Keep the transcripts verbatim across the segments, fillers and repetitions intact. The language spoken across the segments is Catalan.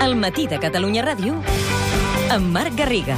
El matí de Catalunya Ràdio amb Marc Garriga.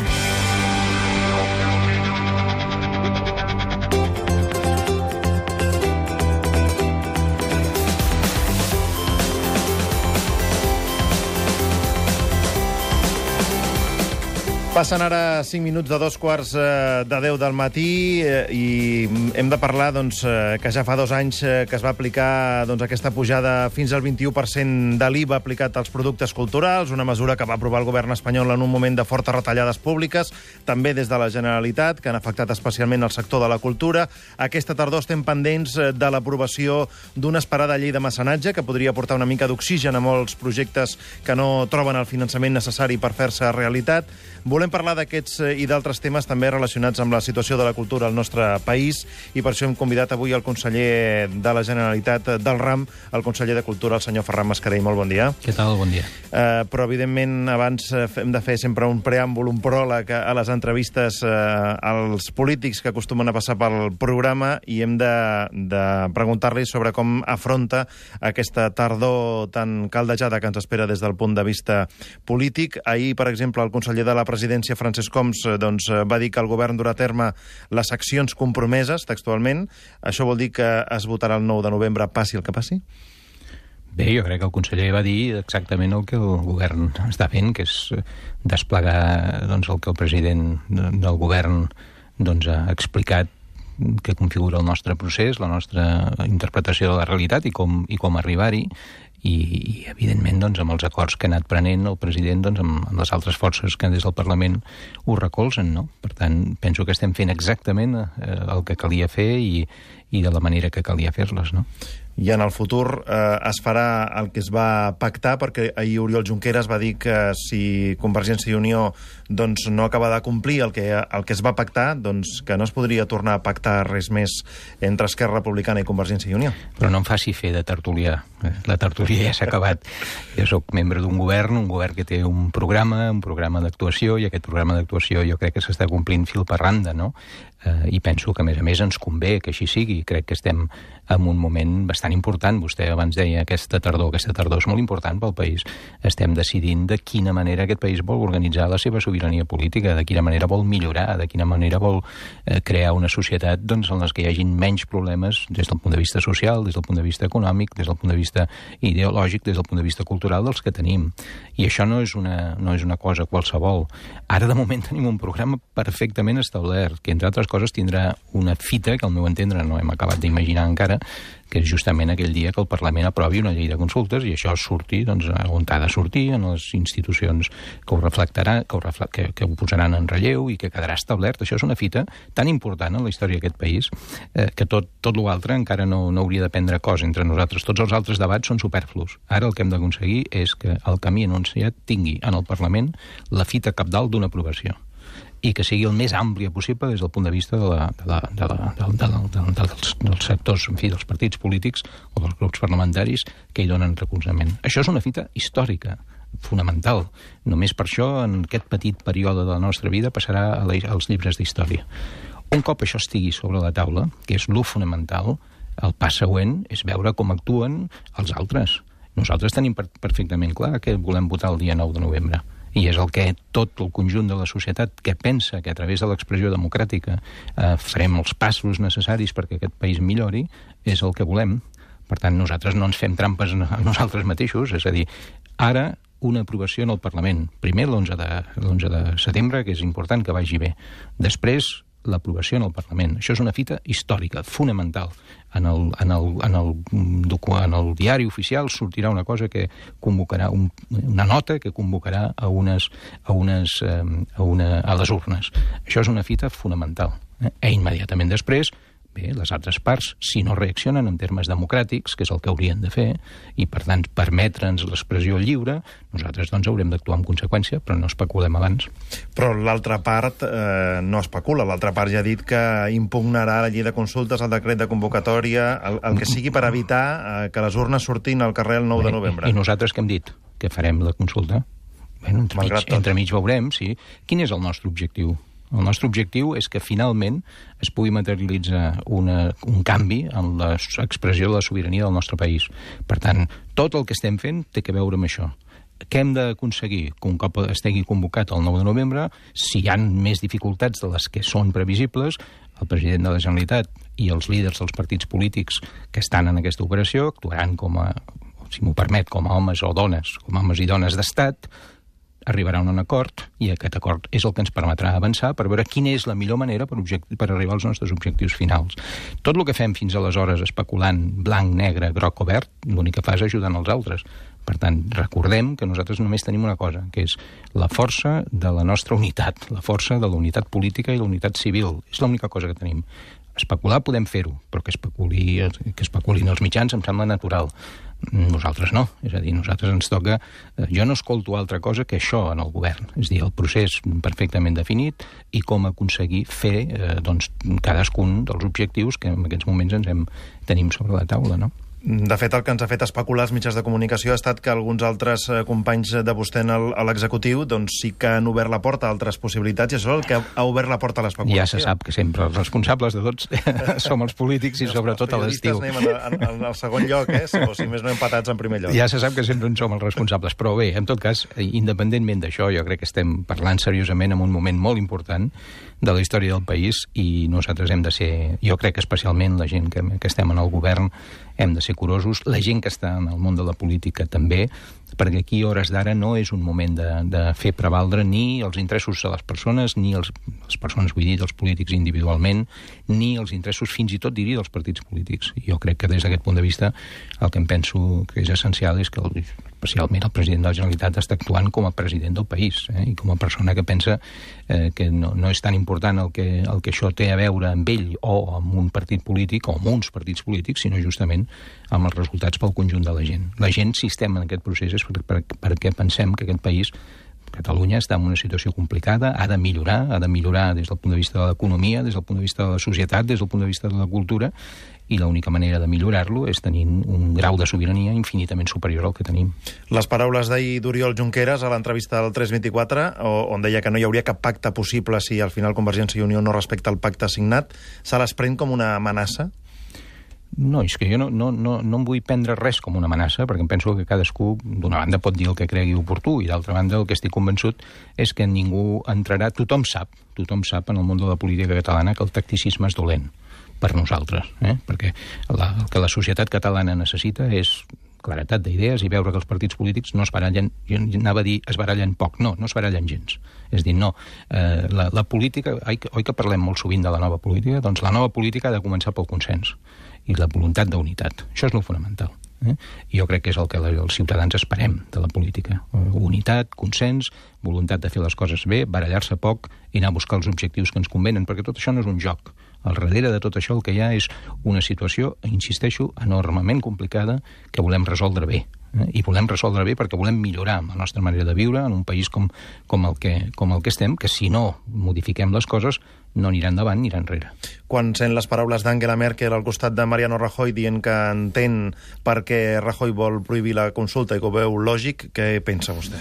Passen ara cinc minuts de dos quarts de deu del matí i hem de parlar doncs, que ja fa dos anys que es va aplicar doncs, aquesta pujada fins al vint-i-u per cent de l'I V A aplicat als productes culturals, una mesura que va aprovar el govern espanyol en un moment de fortes retallades públiques, també des de la Generalitat, que han afectat especialment el sector de la cultura. Aquesta tardor estem pendents de l'aprovació d'una esperada llei de mecenatge que podria portar una mica d'oxigen a molts projectes que no troben el finançament necessari per fer-se realitat. Volem parlar d'aquests i d'altres temes també relacionats amb la situació de la cultura al nostre país i per això hem convidat avui el conseller de la Generalitat del RAM, el conseller de Cultura, el senyor Ferran Mascarell. Molt bon dia. Què tal? Bon dia. Uh, però, evidentment, abans hem de fer sempre un preàmbul, un pròleg a les entrevistes uh, als polítics que acostumen a passar pel programa i hem de, de preguntar-li sobre com afronta aquesta tardor tan caldejada que ens espera des del punt de vista polític. Ahir, per exemple, el conseller de la Presidència, Francesc Homs, doncs, va dir que el govern durà a terme les accions compromeses, textualment. Això vol dir que es votarà el nou de novembre, passi el que passi? Bé, jo crec que el conseller va dir exactament el que el govern està fent, que és desplegar doncs, el que el president del govern doncs, ha explicat que configura el nostre procés, la nostra interpretació de la realitat i com, i com arribar-hi. I, i evidentment, doncs, amb els acords que ha anat prenent el president, doncs, amb, amb les altres forces que des del Parlament ho recolzen, no? Per tant, penso que estem fent exactament eh, el que calia fer i, i de la manera que calia fer-les, no? I en el futur eh, es farà el que es va pactar, perquè ahir Oriol Junqueras va dir que si Convergència i Unió doncs, no acaba de complir el que, el que es va pactar, doncs que no es podria tornar a pactar res més entre Esquerra Republicana i Convergència i Unió. Però no em faci fer de tertulià. La tertúlia ja s'ha acabat. Jo soc membre d'un govern, un govern que té un programa, un programa d'actuació, i aquest programa d'actuació jo crec que s'està complint fil per randa, no? Eh, I penso que, a més a més, ens convé que així sigui. Crec que estem en un moment bastant important. Vostè abans deia aquesta tardor. Aquesta tardor és molt important pel país. Estem decidint de quina manera aquest país vol organitzar la seva sobirania política, de quina manera vol millorar, de quina manera vol eh, crear una societat doncs, en les que hi hagin menys problemes des del punt de vista social, des del punt de vista econòmic, des del punt de vista ideològic, des del punt de vista cultural dels que tenim. I això no és una, no és una cosa qualsevol. Ara, de moment, tenim un programa perfectament establert, que, entre altres coses, tindrà una fita que, al meu entendre, no hem acabat d'imaginar encara, que és justament aquell dia que el Parlament aprovi una llei de consultes i això surti doncs, on ha de sortir, en les institucions que ho reflectarà, que ho, refle que, que ho posaran en relleu i que quedarà establert. Això és una fita tan important en la història d'aquest país eh, que tot, tot l'altre encara no, no hauria de prendre cos entre nosaltres. Tots els altres debats són superflus. Ara el que hem d'aconseguir és que el camí anunciat tingui en el Parlament la fita cabdal d'una aprovació i que sigui el més àmplia possible des del punt de vista de la, de la, de la, de la, de la, de la, dels, dels sectors, en fi, dels partits polítics o dels grups parlamentaris que hi donen recolzament. Això és una fita històrica, fonamental. Només per això, en aquest petit període de la nostra vida, passarà a la, als llibres d'història. Un cop això estigui sobre la taula, que és lo fonamental, el pas següent és veure com actuen els altres. Nosaltres tenim per, perfectament clar que volem votar el dia nou de novembre. I és el que tot el conjunt de la societat que pensa que a través de l'expressió democràtica eh, farem els passos necessaris perquè aquest país millori, és el que volem. Per tant, nosaltres no ens fem trampes a nosaltres mateixos, és a dir, ara una aprovació en el Parlament. Primer l'onze de setembre, que és important que vagi bé. Després, l'aprovació en el Parlament. Això és una fita històrica, fonamental. En el, en el, en el, en el diari oficial sortirà una cosa que convocarà, un, una nota que convocarà a, unes, a, unes, a, una, a les urnes. Això és una fita fonamental. Eh? I immediatament després, bé, les altres parts, si no reaccionen en termes democràtics, que és el que haurien de fer, i per tant permetre'ns l'expressió lliure, nosaltres doncs haurem d'actuar en conseqüència, però no especulem abans. Però l'altra part eh, no especula. L'altra part ja ha dit que impugnarà la llei de consultes, el decret de convocatòria, el, el que sigui per evitar eh, que les urnes surtin al carrer el nou de novembre. I, i nosaltres què hem dit? Que farem la consulta? Bueno, entremig, entremig veurem, sí. Quin és el nostre objectiu? El nostre objectiu és que finalment es pugui materialitzar una, un canvi en l'expressió de la sobirania del nostre país. Per tant, tot el que estem fent té que veure amb això. què hem d'aconseguir? Que un cop estigui convocat el nou de novembre, si hi ha més dificultats de les que són previsibles, el president de la Generalitat i els líders dels partits polítics que estan en aquesta operació actuaran com a, si m'ho permet, com a homes o dones, com a homes i dones d'estat, arribarà a un acord, i aquest acord és el que ens permetrà avançar per veure quina és la millor manera per, per arribar als nostres objectius finals. Tot el que fem fins aleshores especulant blanc, negre, groc o verd, l'únic que fa és ajudant els altres. Per tant, recordem que nosaltres només tenim una cosa, que és la força de la nostra unitat, la força de la unitat política i la unitat civil. És l'única cosa que tenim. Especular podem fer-ho, però que, especuli, que especulin els mitjans em sembla natural. Nosaltres no. És a dir, nosaltres ens toca... Jo no escolto altra cosa que això en el govern. És a dir, el procés perfectament definit i com aconseguir fer eh, doncs, cadascun dels objectius que en aquests moments ens hem, tenim sobre la taula, no? De fet, el que ens ha fet especular els mitjans de comunicació ha estat que alguns altres companys de vostè a l'executiu doncs sí que han obert la porta a altres possibilitats i això és el que ha obert la porta a l'especulació. Ja se sap que sempre els responsables de tots som els polítics i, I sobretot a l'estiu. Els periodistes anem en, en el segon lloc, eh? O si més no empatats en primer lloc. Ja se sap que sempre en som els responsables, però bé, en tot cas, independentment d'això, jo crec que estem parlant seriosament en un moment molt important de la història del país i nosaltres hem de ser, jo crec que especialment la gent que, que estem en el govern, hem de ser curosos, la gent que està en el món de la política també, perquè aquí, a hores d'ara, no és un moment de, de fer prevaldre ni els interessos de les persones, ni els, les persones, vull dir, dels polítics individualment, ni els interessos, fins i tot, diria, dels partits polítics. Jo crec que des d'aquest punt de vista el que em penso que és essencial és que el, especialment el president de la Generalitat està actuant com a president del país, eh? I com a persona que pensa eh, que no, no és tan important el que, el que això té a veure amb ell o amb un partit polític o amb uns partits polítics, sinó justament amb els resultats pel conjunt de la gent. La gent, si estem en aquest procés, és per, per, perquè pensem que aquest país, Catalunya, està en una situació complicada, ha de millorar, ha de millorar des del punt de vista de l'economia, des del punt de vista de la societat, des del punt de vista de la cultura, i l'única manera de millorar-lo és tenint un grau de sobirania infinitament superior al que tenim. Les paraules d'ahir d'Oriol Junqueras a l'entrevista del tres vint-i-quatre, on deia que no hi hauria cap pacte possible si al final Convergència i Unió no respecta el pacte signat, se les pren com una amenaça? No, és que jo no, no, no, no em vull prendre res com una amenaça, perquè em penso que cadascú, d'una banda, pot dir el que cregui oportú, i d'altra banda, el que estic convençut és que ningú entrarà... Tothom sap, tothom sap en el món de la política catalana que el tacticisme és dolent per nosaltres, eh? Perquè la, el que la societat catalana necessita és claretat d'idees i veure que els partits polítics no es barallen, jo anava a dir es barallen poc, no, no es barallen gens. És dir, no, eh, la, la política, oi que, oi que parlem molt sovint de la nova política? Doncs la nova política ha de començar pel consens i la voluntat d'unitat. Això és el fonamental. Eh? I jo crec que és el que els ciutadans esperem de la política. Unitat, consens, voluntat de fer les coses bé, barallar-se poc i anar a buscar els objectius que ens convenen, perquè tot això no és un joc. Al darrere de tot això el que hi ha és una situació, insisteixo, enormement complicada que volem resoldre bé. Eh? I volem resoldre bé perquè volem millorar la nostra manera de viure en un país com, com, el que, com el que estem, que si no modifiquem les coses no anirà endavant, anirà enrere. Quan sent les paraules d'Angela Merkel al costat de Mariano Rajoy dient que entén per què Rajoy vol prohibir la consulta i que ho veu lògic, què pensa vostè?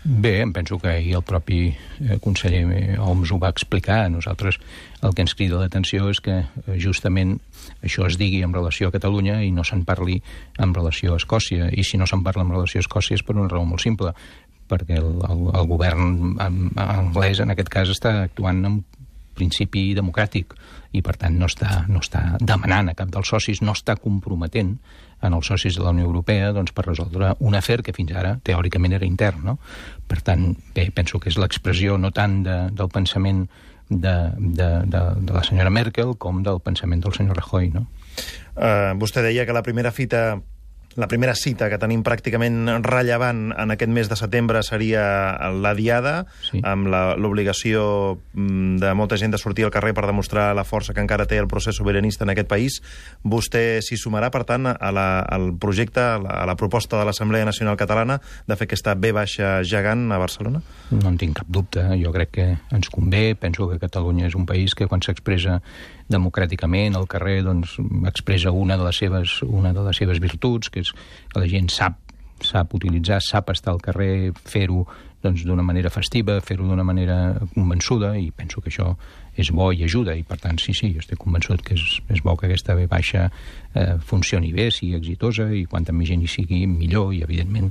Bé, em penso que ahir el propi eh, conseller Homs ho va explicar. Nosaltres el que ens crida l'atenció és que eh, justament això es digui en relació a Catalunya i no se'n parli en relació a Escòcia. I si no se'n parla en relació a Escòcia és per una raó molt simple, perquè el, el, el govern anglès en aquest cas està actuant amb principi democràtic i per tant no està, no està demanant a cap dels socis, no està comprometent en els socis de la Unió Europea doncs, per resoldre un afer que fins ara teòricament era intern. No? Per tant, bé, penso que és l'expressió no tant de, del pensament de, de, de, de la senyora Merkel com del pensament del senyor Rajoy. No? Uh, vostè deia que la primera fita La primera cita que tenim pràcticament rellevant en aquest mes de setembre seria la Diada, sí, amb l'obligació de molta gent de sortir al carrer per demostrar la força que encara té el procés sobiranista en aquest país. Vostè s'hi sumarà, per tant, a la, al projecte, a la, a la proposta de l'Assemblea Nacional Catalana de fer aquesta ve baixa gegant a Barcelona? No en tinc cap dubte. Jo crec que ens convé. Penso que Catalunya és un país que quan s'expressa democràticament al carrer doncs, expressa una de les seves, una de les seves virtuts, que és que la gent sap sap utilitzar, sap estar al carrer, fer-ho doncs, d'una manera festiva, fer-ho d'una manera convençuda, i penso que això és bo i ajuda, i per tant, sí, sí, jo estic convençut que és, és bo que aquesta ve baixa eh, funcioni bé, sigui exitosa, i quanta més gent hi sigui, millor, i evidentment,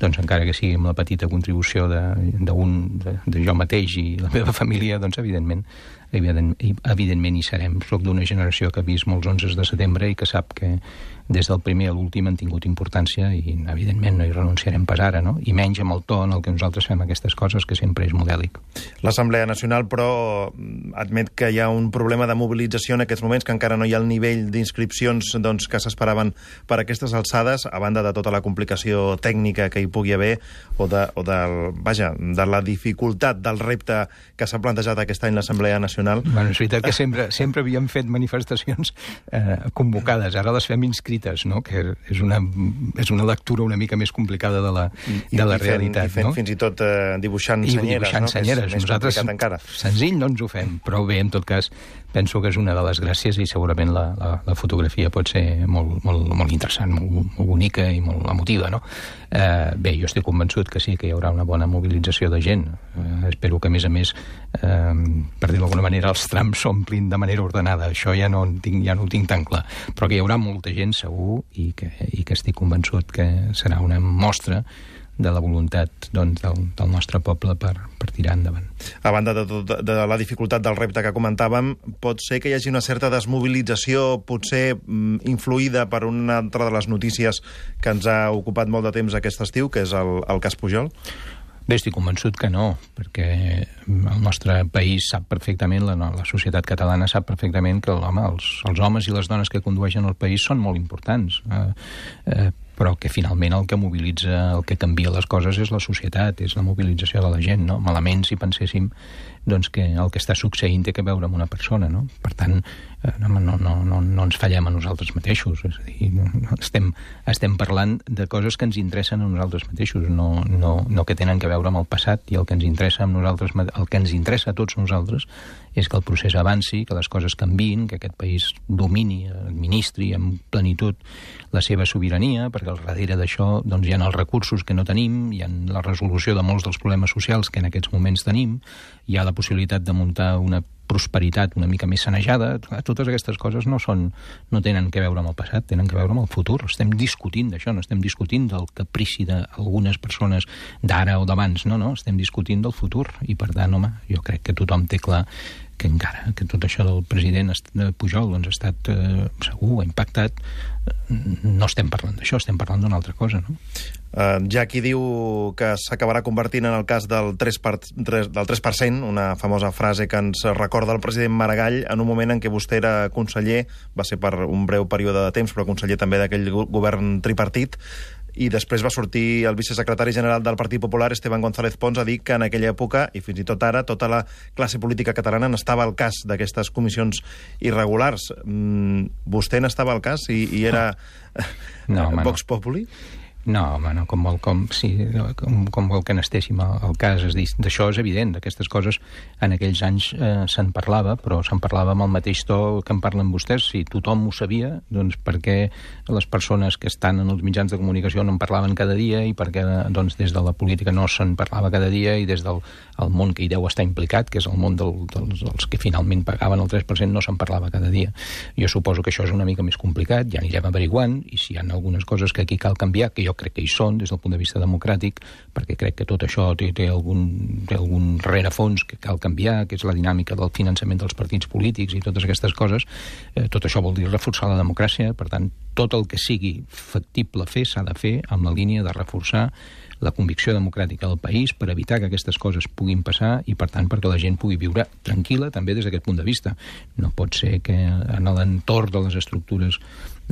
doncs encara que sigui amb la petita contribució de, de, un, de, de jo mateix i la meva família, doncs evidentment, evident, evidentment hi serem. Soc d'una generació que ha vist molts onzes de setembre i que sap que des del primer a l'últim han tingut importància i, evidentment, no hi renunciarem pas ara, no? I menys amb el to en el que nosaltres fem aquestes coses, que sempre és modèlic. L'Assemblea Nacional, però, admet que hi ha un problema de mobilització en aquests moments, que encara no hi ha el nivell d'inscripcions doncs, que s'esperaven per aquestes alçades, a banda de tota la complicació tècnica que hi pugui haver, o de, o del, vaja, de la dificultat del repte que s'ha plantejat aquest any l'Assemblea Nacional. Bueno, és veritat que sempre, sempre havíem fet manifestacions eh, convocades, ara les fem inscrites, no? Que és una, és una lectura una mica més complicada de la, de la I fent, realitat. I fent no? fins i tot eh, dibuixant I senyeres, dibuixant no? senyeres. Que és Nosaltres, més complicat encara. Senzill no ens ho fem, però bé, en tot cas, penso que és una de les gràcies i segurament la, la, la fotografia pot ser molt, molt, molt interessant, molt, molt bonica i molt emotiva, no? Eh, bé, jo estic convençut que sí, que hi haurà una bona mobilització de gent. Eh, espero que, a més a més, eh, per dir-ho d'alguna manera, els trams s'omplin de manera ordenada. Això ja no, tinc, ja no ho tinc tan clar. Però que hi haurà molta gent, segur, i que, i que estic convençut que serà una mostra de la voluntat doncs, del, del nostre poble per, per tirar endavant. A banda de, tot, de la dificultat del repte que comentàvem, pot ser que hi hagi una certa desmobilització, potser mm, influïda per una altra de les notícies que ens ha ocupat molt de temps aquest estiu, que és el, el cas Pujol? Bé, estic convençut que no, perquè el nostre país sap perfectament, la, la societat catalana sap perfectament que home, els, els homes i les dones que condueixen el país són molt importants. Eh, eh, però que finalment el que mobilitza, el que canvia les coses és la societat, és la mobilització de la gent, no? Malament si penséssim doncs, que el que està succeint té que veure amb una persona, no? Per tant, eh, no, no, no, no, no ens fallem a nosaltres mateixos, és a dir, no, estem, estem parlant de coses que ens interessen a nosaltres mateixos, no, no, no que tenen que veure amb el passat, i el que ens interessa a nosaltres, el que ens interessa a tots nosaltres és que el procés avanci, que les coses canviïn, que aquest país domini, administri amb plenitud la seva sobirania, perquè al darrere d'això doncs, hi ha els recursos que no tenim, hi ha la resolució de molts dels problemes socials que en aquests moments tenim, hi ha la possibilitat de muntar una prosperitat una mica més sanejada. Totes aquestes coses no són, no tenen que veure amb el passat, tenen que veure amb el futur. Estem discutint d'això, no estem discutint del caprici d'algunes persones d'ara o d'abans, no, no, estem discutint del futur, i per tant, home, jo crec que tothom té clar que encara que tot això del president Pujol doncs, ha estat eh, segur, ha impactat, no estem parlant d'això, estem parlant d'una altra cosa, no? Uh, hi ha qui diu que s'acabarà convertint en el cas del tres per cent, una famosa frase que ens recorda el president Maragall en un moment en què vostè era conseller, va ser per un breu període de temps, però conseller també d'aquell govern tripartit, i després va sortir el vicesecretari general del Partit Popular, Esteban González Pons, a dir que en aquella època, i fins i tot ara, tota la classe política catalana n'estava al cas d'aquestes comissions irregulars. Mm, vostè n'estava al cas i, i era no, home, Vox Populi? No, home, no, com vol, com, sí, com, com vol que n'estéssim al, al cas. És dir, d'això és evident, d'aquestes coses en aquells anys eh, se'n parlava, però se'n parlava amb el mateix to que en parlen vostès. Si tothom ho sabia, doncs per què les persones que estan en els mitjans de comunicació no en parlaven cada dia, i per què doncs, des de la política no se'n parlava cada dia, i des del el món que hi deu estar implicat, que és el món del, dels, dels que finalment pagaven el tres per cent, no se'n parlava cada dia. Jo suposo que això és una mica més complicat, ja anirem averiguant, i si hi ha algunes coses que aquí cal canviar, que jo crec que hi són des del punt de vista democràtic, perquè crec que tot això té, té, algun, té algun rerefons que cal canviar, que és la dinàmica del finançament dels partits polítics i totes aquestes coses. Eh, tot això vol dir reforçar la democràcia, per tant, tot el que sigui factible fer s'ha de fer amb la línia de reforçar la convicció democràtica del país per evitar que aquestes coses puguin passar i, per tant, perquè la gent pugui viure tranquil·la també des d'aquest punt de vista. No pot ser que en l'entorn de les estructures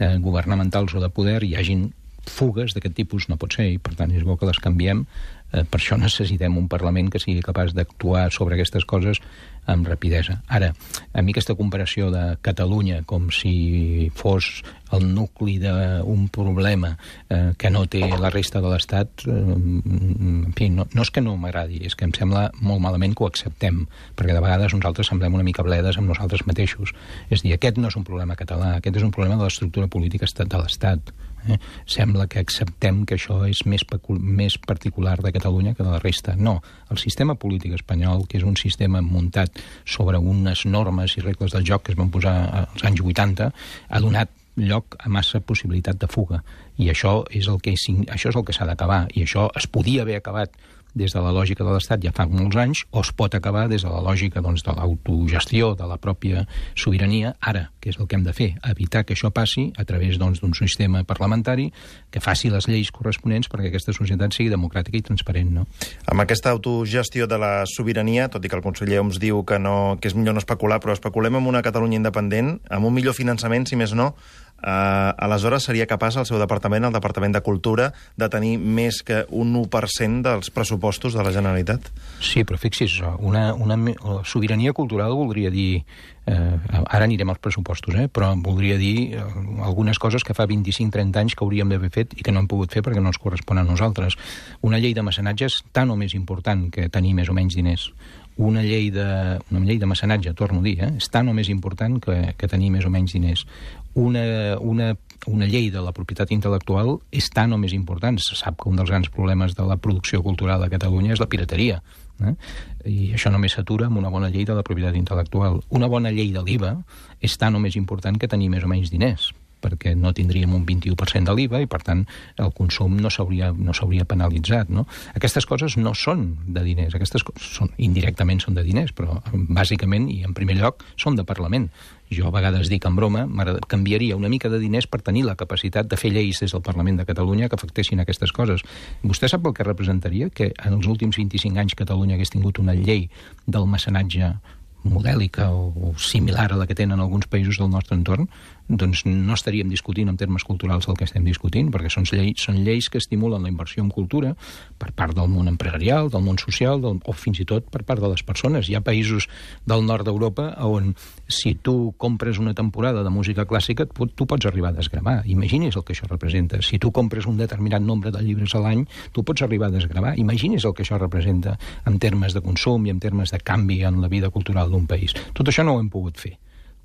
eh, governamentals o de poder hi hagin fugues d'aquest tipus, no pot ser, i per tant és bo que les canviem Eh, per això necessitem un Parlament que sigui capaç d'actuar sobre aquestes coses amb rapidesa. Ara, a mi aquesta comparació de Catalunya com si fos el nucli d'un problema eh, que no té la resta de l'Estat, eh, en fi, no, no és que no m'agradi, és que em sembla molt malament que ho acceptem, perquè de vegades nosaltres semblem una mica bledes amb nosaltres mateixos. És a dir, aquest no és un problema català, aquest és un problema de l'estructura política de l'Estat. Eh? Sembla que acceptem que això és més, més particular de Catalunya que de la resta. No, el sistema polític espanyol, que és un sistema muntat sobre unes normes i regles del joc que es van posar als anys vuitanta, ha donat lloc a massa possibilitat de fuga. I això és el que, això és el que s'ha d'acabar. I això es podia haver acabat des de la lògica de l'Estat ja fa molts anys, o es pot acabar des de la lògica doncs, de l'autogestió, de la pròpia sobirania, ara, que és el que hem de fer, evitar que això passi a través doncs, d'un sistema parlamentari que faci les lleis corresponents perquè aquesta societat sigui democràtica i transparent. No? Amb aquesta autogestió de la sobirania, tot i que el conseller Homs diu que, no, que és millor no especular, però especulem amb una Catalunya independent, amb un millor finançament, si més no, Uh, aleshores seria capaç el seu departament, el Departament de Cultura, de tenir més que un u per cent dels pressupostos de la Generalitat? Sí, però fixi's, una, una sobirania cultural voldria dir... Eh, ara anirem als pressupostos, eh, però voldria dir eh, algunes coses que fa vint-i-cinc trenta anys que hauríem d'haver fet i que no hem pogut fer perquè no ens correspon a nosaltres. Una llei de mecenatge és tan o més important que tenir més o menys diners. Una llei de, una llei de mecenatge, torno a dir, eh, és tan o més important que, que tenir més o menys diners. Una, una, una llei de la propietat intel·lectual és tan o més important. Se sap que un dels grans problemes de la producció cultural a Catalunya és la pirateria. Eh? I això només s'atura amb una bona llei de la propietat intel·lectual. Una bona llei de l'I V A és tan o més important que tenir més o menys diners, perquè no tindríem un vint-i-u per cent de l'I V A i, per tant, el consum no s'hauria no s'hauria penalitzat. No? Aquestes coses no són de diners, aquestes coses són, indirectament són de diners, però bàsicament, i en primer lloc, són de Parlament. Jo a vegades dic en broma, canviaria una mica de diners per tenir la capacitat de fer lleis des del Parlament de Catalunya que afectessin aquestes coses. Vostè sap el que representaria que en els últims vint-i-cinc anys Catalunya hagués tingut una llei del mecenatge modèlica o similar a la que tenen alguns països del nostre entorn? Doncs no estaríem discutint en termes culturals el que estem discutint, perquè són lleis, són lleis que estimulen la inversió en cultura per part del món empresarial, del món social, del, o fins i tot per part de les persones. Hi ha països del nord d'Europa on si tu compres una temporada de música clàssica, tu, tu pots arribar a desgravar. Imagini's el que això representa. Si tu compres un determinat nombre de llibres a l'any, tu pots arribar a desgravar. Imagini's el que això representa en termes de consum i en termes de canvi en la vida cultural d'un país. Tot això no ho hem pogut fer.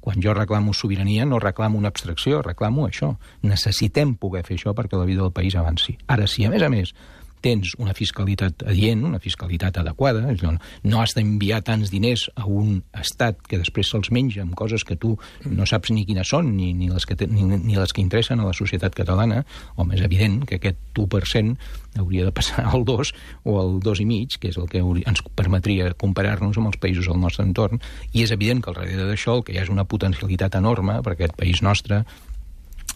Quan jo reclamo sobirania, no reclamo una abstracció, reclamo això. Necessitem poder fer això perquè la vida del país avanci. Ara, si a més a més tens una fiscalitat adient, una fiscalitat adequada, no has d'enviar tants diners a un estat que després se'ls menja amb coses que tu no saps ni quines són, ni, ni, les que te, ni, ni les que interessen a la societat catalana, home, és evident que aquest u per cent hauria de passar al dos o al dos i mig, que és el que ens permetria comparar-nos amb els països del nostre entorn, i és evident que al darrere d'això el que hi ha és una potencialitat enorme per aquest país nostre,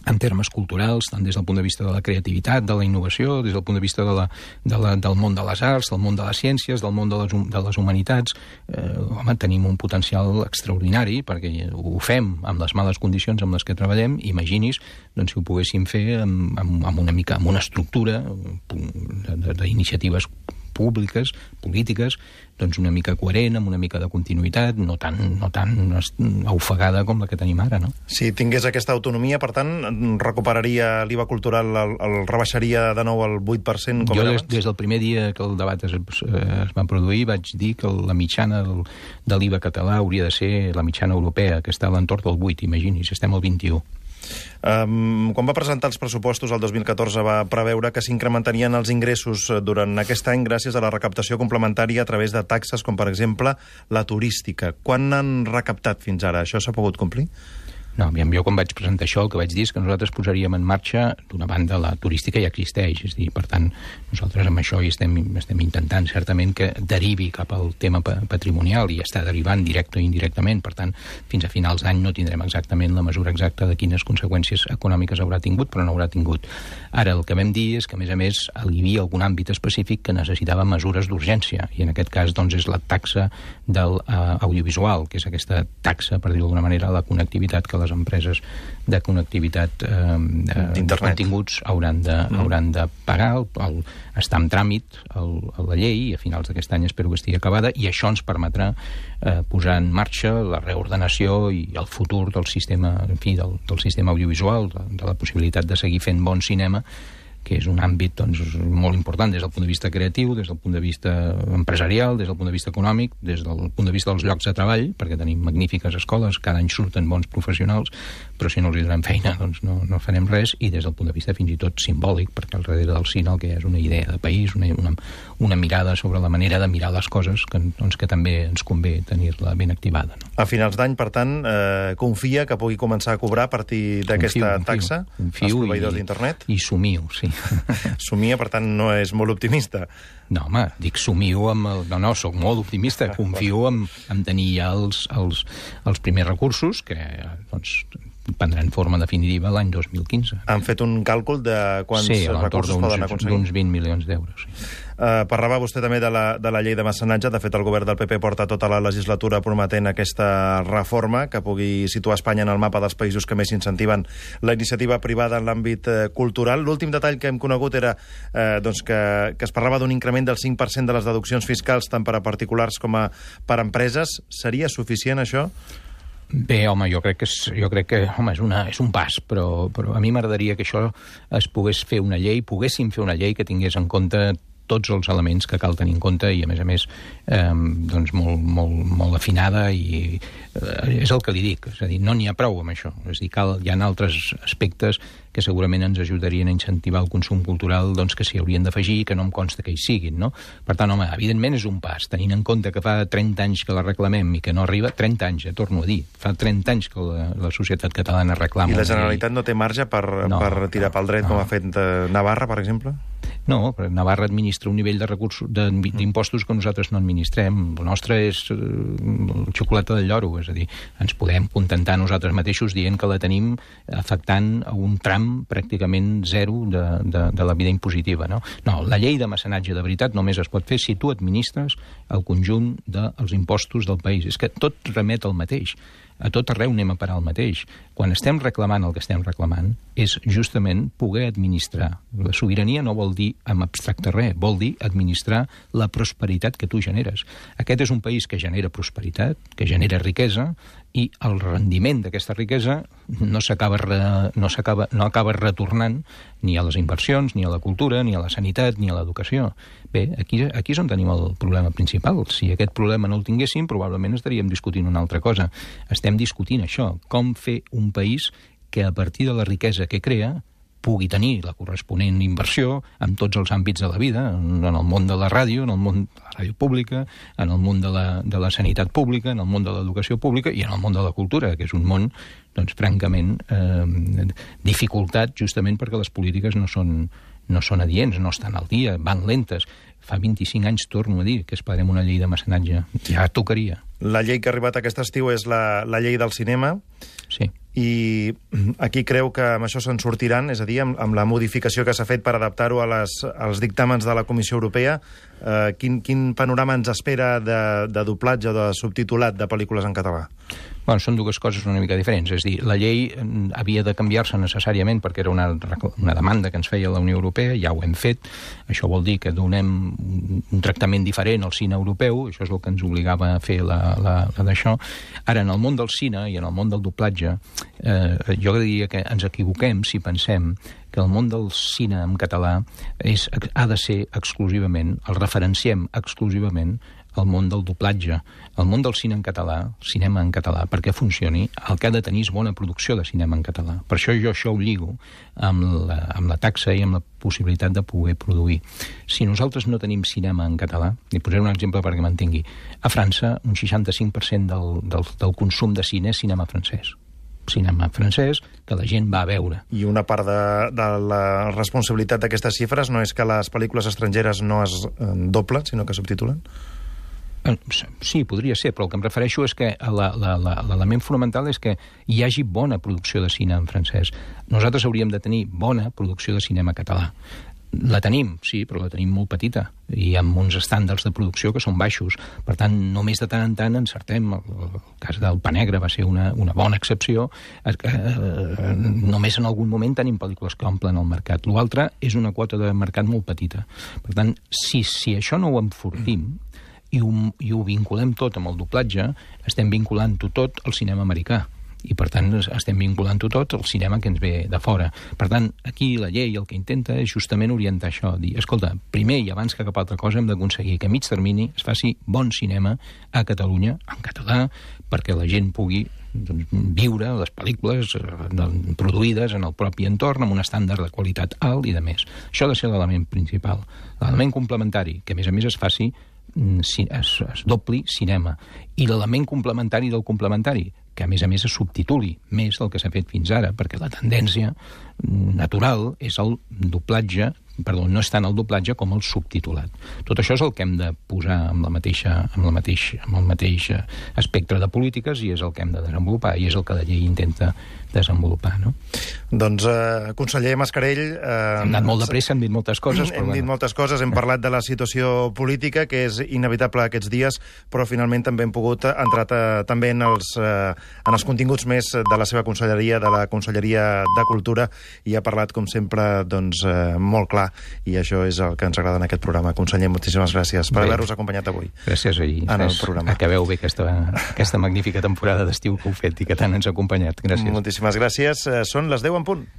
en termes culturals, tant des del punt de vista de la creativitat, de la innovació, des del punt de vista de la, de la, del món de les arts, del món de les ciències, del món de les, de les humanitats. Eh, home, tenim un potencial extraordinari, perquè ho fem amb les males condicions amb les que treballem. Imagini's doncs, si ho poguéssim fer amb, amb, amb una mica, amb una estructura d'iniciatives públiques, polítiques, doncs una mica coherent, amb una mica de continuïtat, no tan, no tan ofegada com la que tenim ara, no? Si tingués aquesta autonomia, per tant, recuperaria l'I V A cultural, el, el rebaixaria de nou al vuit per cent com jo era des, abans? des del primer dia que el debat es, es va produir vaig dir que la mitjana del, de l'I V A català hauria de ser la mitjana europea, que està a l'entorn del vuit, imagini's, estem al vint-i-u. Um, quan va presentar els pressupostos el dos mil catorze va preveure que s'incrementarien els ingressos durant aquest any gràcies a la recaptació complementària a través de taxes com, per exemple, la turística. Quan n'han recaptat fins ara? Això s'ha pogut complir? No, aviam, jo quan vaig presentar això el que vaig dir és que nosaltres posaríem en marxa, d'una banda, la turística ja existeix, és a dir, per tant, nosaltres amb això hi estem, estem intentant certament que derivi cap al tema patrimonial i està derivant directe o indirectament, per tant, fins a finals d'any no tindrem exactament la mesura exacta de quines conseqüències econòmiques haurà tingut, però no haurà tingut. Ara, el que vam dir és que, a més a més, hi havia algun àmbit específic que necessitava mesures d'urgència, i en aquest cas, doncs, és la taxa del uh, audiovisual, que és aquesta taxa, per dir-ho d'alguna manera, la connectivitat que les les empreses de connectivitat eh, de continguts hauran de, mm. hauran de pagar. El, el, està en tràmit el, la llei i a finals d'aquest any espero que estigui acabada, i això ens permetrà eh, posar en marxa la reordenació i el futur del sistema, en fi, del, del sistema audiovisual, de, de la possibilitat de seguir fent bon cinema, que és un àmbit doncs, molt important des del punt de vista creatiu, des del punt de vista empresarial, des del punt de vista econòmic, des del punt de vista dels llocs de treball, perquè tenim magnífiques escoles, cada any surten bons professionals, però si no els hi donem feina doncs no, no farem res, i des del punt de vista fins i tot simbòlic, perquè al darrere del cine el que és una idea de país, una, una, una mirada sobre la manera de mirar les coses que, doncs, que també ens convé tenir-la ben activada. No? A finals d'any, per tant, eh, confia que pugui començar a cobrar a partir d'aquesta taxa als proveïdors d'internet? I somio, sí. Somia, per tant, no és molt optimista. No, home, dic somio amb... El... No, no, soc molt optimista. Confio en, en tenir ja els, els, els primers recursos que, doncs, prendran forma definitiva l'any dos mil quinze. Han fet un càlcul de quants sí, recursos poden aconseguir? Sí, d'uns vint milions d'euros, sí. Uh, parlava vostè també de la, de la llei de mecenatge. De fet, el govern del P P porta tota la legislatura prometent aquesta reforma que pugui situar Espanya en el mapa dels països que més incentiven la iniciativa privada en l'àmbit uh, cultural. L'últim detall que hem conegut era uh, doncs que, que es parlava d'un increment del cinc per cent de les deduccions fiscals tant per a particulars com a per a empreses. Seria suficient, això? Bé, home, jo crec que és, jo crec que, home, és, una, és un pas, però, però a mi m'agradaria que això es pogués fer una llei, poguéssim fer una llei que tingués en compte tots els elements que cal tenir en compte i, a més a més, eh, doncs molt, molt, molt afinada i eh, és el que li dic. És a dir, no n'hi ha prou amb això. És a dir, cal, hi ha altres aspectes que segurament ens ajudarien a incentivar el consum cultural doncs, que s'hi haurien d'afegir i que no em consta que hi siguin, no? Per tant, home, evidentment és un pas, tenint en compte que fa trenta anys que la reclamem i que no arriba, trenta anys, ja torno a dir, fa trenta anys que la, la societat catalana reclama... I la Generalitat no té marge per, no, per tirar pel dret, no, com ha fet Navarra, per exemple? No, però Navarra administra un nivell de recursos d'impostos que nosaltres no administrem. El nostre és eh, xocolata del lloro, és a dir, ens podem contentar nosaltres mateixos dient que la tenim afectant a un tram pràcticament zero de, de, de la vida impositiva. No? No, la llei de mecenatge de veritat només es pot fer si tu administres el conjunt dels impostos del país. És que tot remet al mateix. A tot arreu anem a parar el mateix. Quan estem reclamant el que estem reclamant és justament poder administrar. La sobirania no vol dir en abstracte res, vol dir administrar la prosperitat que tu generes. Aquest és un país que genera prosperitat, que genera riquesa, i el rendiment d'aquesta riquesa no s'acaba no s'acaba no acaba retornant ni a les inversions, ni a la cultura, ni a la sanitat, ni a l'educació. Bé, aquí, aquí és on tenim el problema principal. Si aquest problema no el tinguéssim, probablement estaríem discutint una altra cosa. Estem discutint això, com fer un país que a partir de la riquesa que crea pugui tenir la corresponent inversió en tots els àmbits de la vida, en el món de la ràdio, en el món de la ràdio pública, en el món de la, de la sanitat pública, en el món de l'educació pública i en el món de la cultura, que és un món, doncs, francament, eh, dificultat justament perquè les polítiques no són, no són adients, no estan al dia, van lentes. Fa vint-i-cinc anys, torno a dir, que esperem una llei de mecenatge. Ja tocaria. La llei que ha arribat aquest estiu és la, la llei del cinema. Sí. I aquí creu que amb això se'n sortiran, és a dir, amb, amb la modificació que s'ha fet per adaptar-ho a les, als dictàmens de la Comissió Europea, eh, quin, quin panorama ens espera de, de doblatge o de subtitulat de pel·lícules en català? Bueno, són dues coses una mica diferents. És a dir, la llei havia de canviar-se necessàriament perquè era una, una demanda que ens feia la Unió Europea, ja ho hem fet. Això vol dir que donem un tractament diferent al cine europeu, això és el que ens obligava a fer la, la, la d'això. Ara, en el món del cine i en el món del doblatge, eh, jo diria que ens equivoquem si pensem que el món del cine en català és, ha de ser exclusivament, el referenciem exclusivament al món del doblatge. El món del cine en català, cinema en català, perquè funcioni, el que ha de tenir és bona producció de cinema en català. Per això jo això ho lligo amb la, amb la taxa i amb la possibilitat de poder produir. Si nosaltres no tenim cinema en català, i posaré un exemple perquè m'entengui, a França un seixanta-cinc per cent del, del, del consum de cine és cinema francès. Cinema francès que la gent va a veure. I una part de, de la responsabilitat d'aquestes xifres no és que les pel·lícules estrangeres no es eh, doblen, sinó que subtitulen? Sí, podria ser, però el que em refereixo és que l'element fonamental és que hi hagi bona producció de cine en francès. Nosaltres hauríem de tenir bona producció de cinema català. La tenim, sí, però la tenim molt petita i amb uns estàndards de producció que són baixos. Per tant, només de tant en tant encertem. El, el cas del Pa Negre va ser una, una bona excepció. Eh, eh, només en algun moment tenim pel·lícules que omplen el mercat. L'altre és una quota de mercat molt petita. Per tant, si, si això no ho enfortim i ho, i ho vinculem tot amb el doblatge, estem vinculant-ho tot al cinema americà. I, per tant, estem vinculant-ho tot al cinema que ens ve de fora. Per tant, aquí la llei el que intenta és justament orientar això, dir, escolta, primer i abans que cap altra cosa hem d'aconseguir que a mig termini es faci bon cinema a Catalunya, en català, perquè la gent pugui doncs, viure les pel·lícules eh, produïdes en el propi entorn amb un estàndard de qualitat alt i de més. Això ha de ser l'element principal. L'element complementari, que a més a més es faci es, es dobli cinema. I l'element complementari del complementari, que a més a més es subtituli més del que s'ha fet fins ara, perquè la tendència natural és el doblatge, perdó, no és tant el doblatge com el subtitulat. Tot això és el que hem de posar amb, la mateixa, amb, la mateixa, amb el mateix espectre de polítiques i és el que hem de desenvolupar i és el que la llei intenta desenvolupar, no? Doncs, eh, conseller Mascarell... Eh, hem anat molt de pressa, hem dit moltes coses, però... Hem dit moltes coses, hem parlat de la situació política, que és inevitable aquests dies, però finalment també hem pogut entrar també en els, eh, en els continguts més de la seva conselleria, de la Conselleria de Cultura, i ha parlat, com sempre, doncs, eh, molt clar, i això és el que ens agrada en aquest programa. Conseller, moltíssimes gràcies per haver-nos acompanyat avui. Gràcies, i en el programa. Acabeu bé aquesta, aquesta magnífica temporada d'estiu que heu fet i que tant ens ha acompanyat. Gràcies. Moltíssimes gràcies. Són les deu en punt.